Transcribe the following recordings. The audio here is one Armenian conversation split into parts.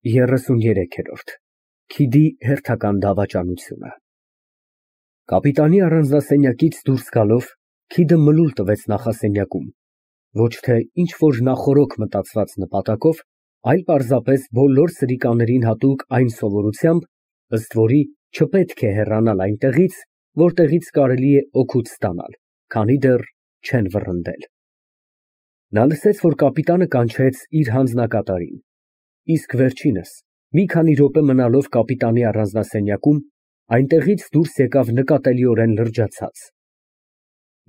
33-րդ ՔԻԴԻ հերթական դավաճանությունը Կապիտանի առանձնասենյակից դուրս գալով Քիդը մլուլ տվեց նախասենյակում, ոչ թե ինչ֊որ նախօրոք մտածված նպատակով, այլ պարզապես բոլոր սրիկաներին հատուկ այն սովորությամբ, ըստ որի չպետք է հեռանալ այնտեղից, որտեղից կարելի է օգուտ ստանալ, քանի դեռ չեն վռնդել։ Նա լսեց, որ կապիտանը կանչեց իր հանձնակատարին, իսկ վերջինս, մի քանի րոպե մնալով կապիտանի առանձնասենյակում, այնտեղից դուրս եկավ նկատելիորեն լրջացած։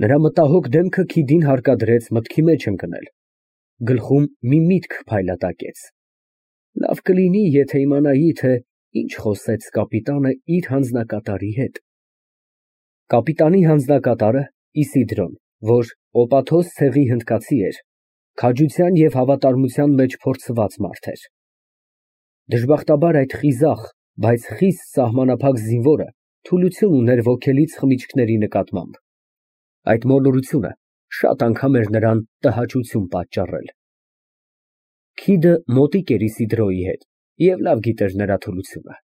Նրա մտահոգ դեմքը Քիդին հարկադրեց մտքի մեջ ընկնել, գլխում մի միտք փայլատակեց. լավ կլինի, եթե իմանայի, թե ինչ խոսեց կապիտանը իր հանձնակատարի հետ։ Կապիտանի հանձնակատարը Իսիդրոն, որ օպաթոս ցեղի հնդկացի էր, քաջության և հավատարմության մեջ փորձված մարդ էր։ Դժբախտաբար այդ խիզախ, բայց խիստ սահմանափակ զինվորը թուլություն ուներ ոգելից խմիչքների նկատմամբ։ Այդ մոլորությունը շատ անգամ էր նրան տհաճություն պատճառել։ Քիդը մոտիկ էր Իսիդրոյի հետ և լավ գիտեր նրա թուլությունը։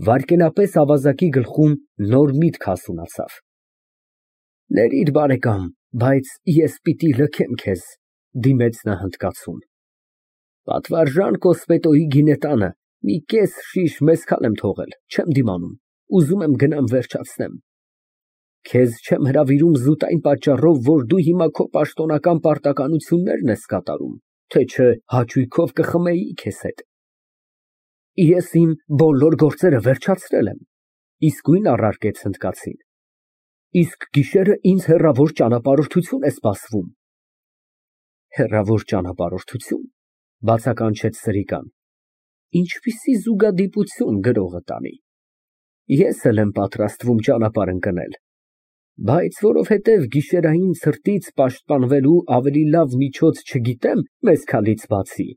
Վայրկենապես ավազակի գլխում նոր միտք հասունացավ։ Ներիր, բարեկամ, բայց ես պիտի լքեմ քեզ, դիմեց նա հնդկացուն։ Պատվարժան Կոսպետոյի գինետանը մի կես շիշ մեզքալ եմ թողել, չեմ դիմանում, ուզում եմ գնամ վերջացնեմ։ Քեզ չեմ հրավիրում զուտ այն պատճառով, որ դու հիմա քո պաշտոնական պարտականություններն ես կատարում, թե չէ հաճույքով կխմեի քեզ հետ։ Ես իմ բոլոր գործերը վերջացրել եմ, իսկույն առարկեց հնդկացին։ Իսկ գիշերը ինձ հեռավոր ճանապարհորդություն է սպասվում։ Հեռավոր ճանապարհորդություն, բացականչեց Սրիկան։ Ինչպիսի զուգադիպություն գրողը տանի։ Ես էլ եմ պատրաստվում ճանապարհ ընկնել, բայց որովհետև գիշերային ցրտից պաշտպանվելու ավելի լավ միջոց չգիտեմ մեզքալից բացի,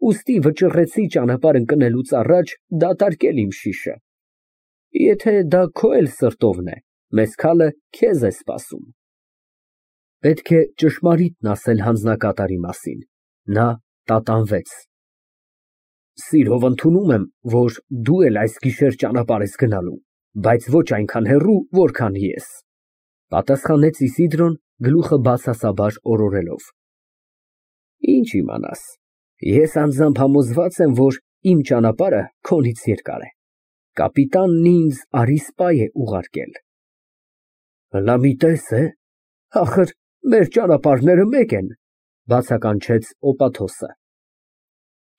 ուստի վճռեցի ճանապարհ ընկնելուց առաջ դատարկել իմ շիշը։ Եթե դա քո էլ սրտովն է, մեզքալը քեզ է սպասում։ Պետք է ճշմարիտն ասել հանձնակատարի մասին, նա տատանվեց։ Սիրով ընդունում եմ, որ դու էլ այս գիշեր ճանապարհ ես գնալու, բայց ոչ այնքան հեռու, որքան ես, պատասխանեց Իսիդրոն գլուխը բացասաբար օրորելով։ Ինչ իմանաս, ես անձամբ համոզված եմ, որ իմ ճանապարհը քոնից երկար է, կապիտանն ինձ Արիսպայ է ուղարկել։ Հլամիտես է, ախր մեր ճանապարհները մեկ են, բացականչեց օպաթոսը։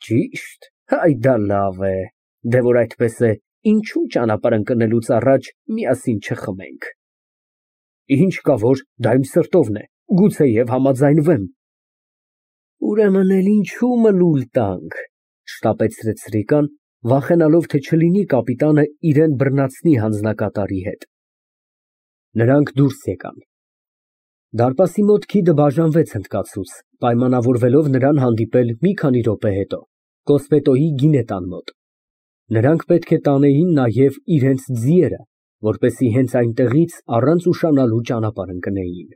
Ճիշտ, այ դա լավ է, դե որ այդպես է, ինչու ճանապարհ ընկնելուց առաջ միասին չխմենք։ Ինչ կա, որ դա իմ սրտովն է, գուցեև համաձայնվեմ։ Ուրեմն էլ ինչու մլուլ տանք, շտապեցրեց Սրիկան, վախենալով, թե չլինի կապիտանը իրեն բռնացնի հանձնակատարի հետ։ Նրանք դուրս եկան։ Դարպասի մոտ Քիդը բաժանվեց հնդկացուց, պայմանավորվելով նրան հանդիպել մի քանի րոպե հետո, Կոսպետոյի գինետան մոտ։ Նրանք պետք է տանեին նաև իրենց ձիերը, որպեսզի հենց այնտեղից առանց ուշանալու ճանապարհ ընկնեին։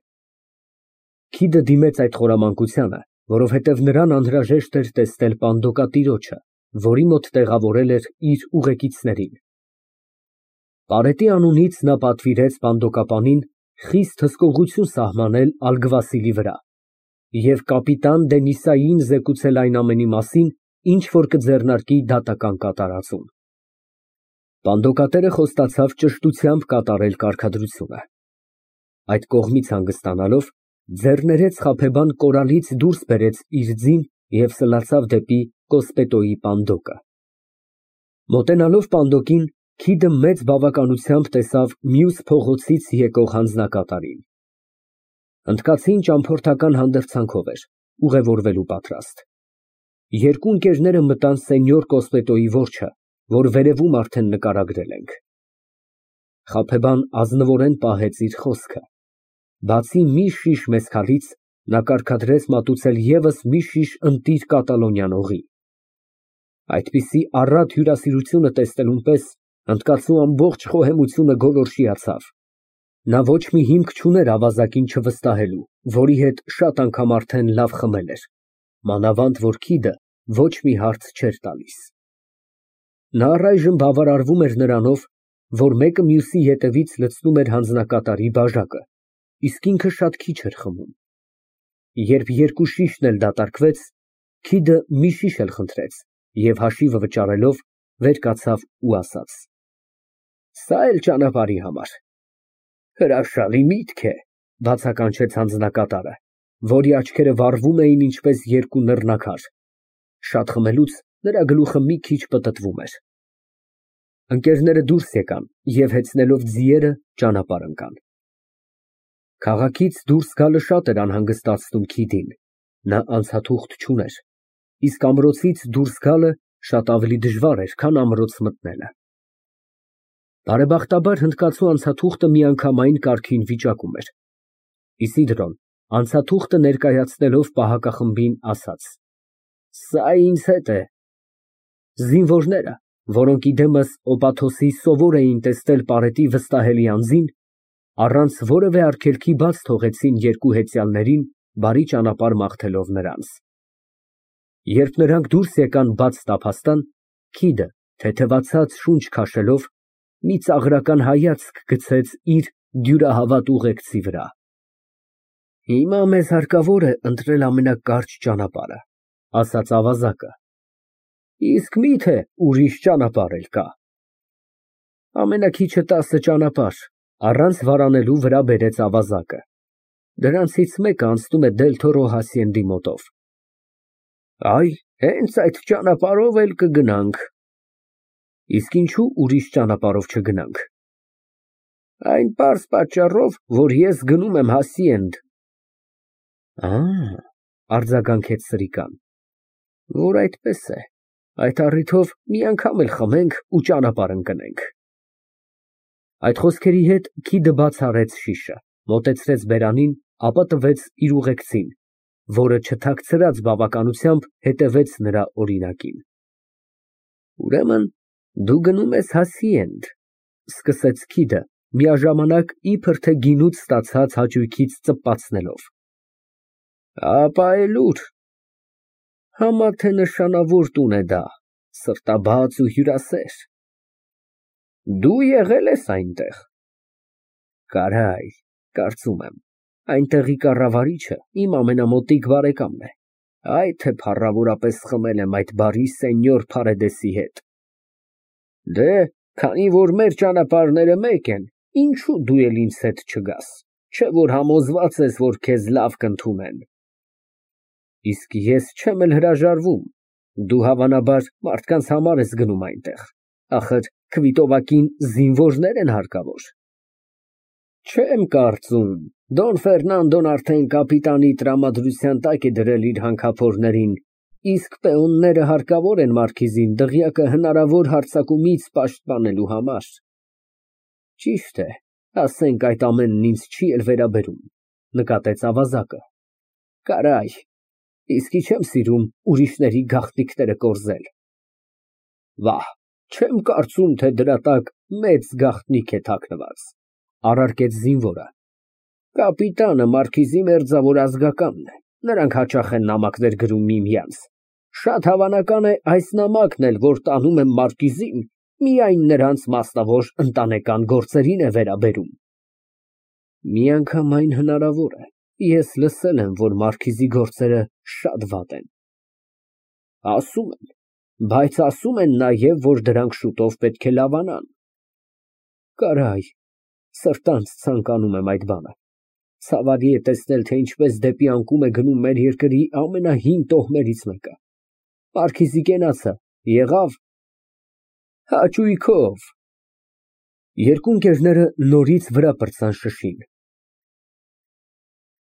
Քիդը դիմեց այդ խորամանկությանը, որովհետև նրան անհրաժեշտ էր տեսնել պանդոկատիրոջը, որի մոտ տեղավորել էր իր ուղեկիցներին։ Պարետի անունից նա պատվիրեց պանդոկապանին խիստ հսկողություն սահմանել Ալգվասիլի վրա և կապիտան Դենիսային զեկուցել այն ամենի մասին, ինչ որ կձեռնարկի դատական կատարածում։ Պանդոկատերը խոստացավ ճշտությամբ կատարել կարգադրությունը։ Այդ կողմից հանգստանալով, ձեռներեց խաբեբան կորալից դուրս բերեց իր ձին և սլացավ դեպի Կոսպետոյի պանդոկը։ Մոտենալով պանդոկին, Քիդը մեծ բավականությամբ տեսավ մյուս փողոցից եկող հանձնակատարին։ Հնդկացին ճամփորդական հանդերձանքով էր, ուղևորվելու պատրաստ։ Երկու ընկերները մտան սենյոր Կոսպետոյի որջը, որ վերևում արդեն նկարագրել ենք։ Խաբեբան ազնվորեն պահեց իր խոսքը։ Բացի մի շիշ մեզքալից, նա կարգադրեց մատուցել ևս մի շիշ ընտիր կատալոնյան օղի։ Այդպիսի առատ հյուրասիրությունը տեսնելուն պես հնդկացու ամբողջ խոհեմությունը գոլորշիացավ։ Նա ոչ մի հիմք չուներ ավազակին չվստահելու, որի հետ շատ անգամ արդեն լավ խմել էր, մանավանդ որ Քիդը ոչ մի հարց չէր տալիս։ Նա առայժմ բավարարվում էր նրանով, որ մեկը մյուսի ետևից լցնում էր հանձնակատարի բաժակը, իսկ ինքը շատ քիչ էր խմում։ Երբ երկու շիշն էլ դատարկվեց, Քիդը մի շիշ էլ խնդրեց և հաշիվը վճարելով վեր կացավ ու ասաց. Սա էլ ճանապարհի համար։ Հրաշալի միտք է, բացականչեց հանձնակատարը, որի աչքերը վառվում էին ինչպես երկու նռնակար։ Շատ խմելուց նրա գլուխը մի քիչ պտտվում էր։ Ընկերները դուրս եկան և հեծնելով ձիերը ճանապարհ ընկան։ Քաղաքից դուրս գալը շատ էր անհանգստացնում Քիդին, նա անցաթուղթ չուներ, իսկ ամրոցից դուրս գալը շատ ավելի դժվար էր, քան ամրոց մտնելը։ Բարեբախտաբար հնդկացու անցաթուղթը միանգամայն կարգին վիճակում էր։ Իսիդրոն անցաթուղթը ներկայացնելով պահակախմբին ասաց. Սա ինձ հետ է։ Զինվորները, որոնք իդեմս Օպաթոսի սովոր էին տեսնել պարետի վստահելի անձին, առանց որևէ արգելքի բաց թողեցին երկու հեծյալներին, բարի ճանապարհ մաղթելով նրանց։ Երբ նրանք դուրս եկան բաց տափաստան, Քիդը, թեթևացած շունչ քաշելով, մի ծաղրական հայացք գցեց իր դյուրահավատ ուղեկցի վրա։ Հիմա մեզ հարկավոր է ընտրել ամենակարճ ճանապարհը, ասաց ավազակը։ Իսկ մի՞թե ուրիշ ճանապարհ էլ կա։ Ամենաքիչը 10 ճանապարհ, առանց վարանելու վրա բերեց ավազակը։ Դրանցից մեկը անցնում է Դելթորո հասիենդի մոտով։ Այ, հենց այդ ճանապարհով էլ կգնանք։ Իսկ ինչու ուրիշ ճանապարհով չգնանք։ Այն պարզ պատճառով, որ ես գնում եմ Հասիենդ։ Արձագանքեց Սրիկան։ Որ այդպես է, այդ առիթով մի անգամ էլ խմենք ու ճանապարհ ընկնենք։ Այդ խոսքերի հետ Քիդը բաց արեց շիշը, մոտեցրեց բերանին, ապա տվեց իր ուղեկցին, որը չթաքցրած բավականությամբ հետևեց նրա օրինակին։ Ուրեմն դու գնում ես Հասիենդ, սկսեց Քիդը, միաժամանակ իբր թե գինուց ստացած հաճույքից ծպացնելով։ Ապա էլ ուր։ Համա թե նշանավոր տուն է դա, սրտաբաց ու հյուրասեր։ Դու եղել ես այնտեղ։ Կարայ, կարծում եմ, այնտեղի կառավարիչը իմ ամենամոտիկ բարեկամն է, այ թե փառավորապես խմել եմ այդ բարի սենյոր Փարեդեսի հետ։ Դե, քանի որ մեր ճանապարհները մեկ են, ինչու դու էլ ինձ հետ չգաս, չէ որ համոզված ես, որ քեզ լավ կընդունեն։ Իսկ ես չեմ էլ հրաժարվում, դու հավանաբար մարդկանց համար ես գնում այնտեղ, ախր Քվիտովակին զինվորներ են հարկավոր։ Չեմ կարծում, Դոն Ֆերնանդոն արդեն կապիտանի տրամադրության տակ է դրել իր հանքափորներին, իսկ պեոնները հարկավոր են մարքիզին դղյակը հնարավոր հարձակումից պաշտպանելու համար։ Ճիշտ է, ասենք այդ ամենն ինձ չի էլ վերաբերում, նկատեց ավազակը։ Կարայ, իսկի չեմ սիրում ուրիշների գաղտնիքները կորզել։ Վահ, չեմ կարծում, թե դրա տակ մեծ գաղտնիք է թաքնված, առարկեց զինվորը։ Կապիտանը մարքիզի մերձավոր ազգականն է, նրանք հաճախ են նամակներ գրում միմյանց։ Շատ հավանական է այս նամակն էլ, որ տանում եմ մարքիզին, միայն նրանց մասնավոր ընտանեկան գործերին է վերաբերում։ Միանգամայն հնարավոր է, ես լսել եմ, որ մարքիզի գործերը շատ վատ են։ Ասում են, բայց ասում են նաև, որ դրանք շուտով պետք է լավանան։ Կարայ, սրտանց ցանկանում եմ այդ բանը։ Ցավալի է տեսնել, թե ինչպես դեպի անկում է գնում մեր երկրի ամենահին տոհմերից մեկը։ Մարքիզի կենացը եղավ հաճույքով։ Երկու ընկերները նորից վրա պրծան շշին։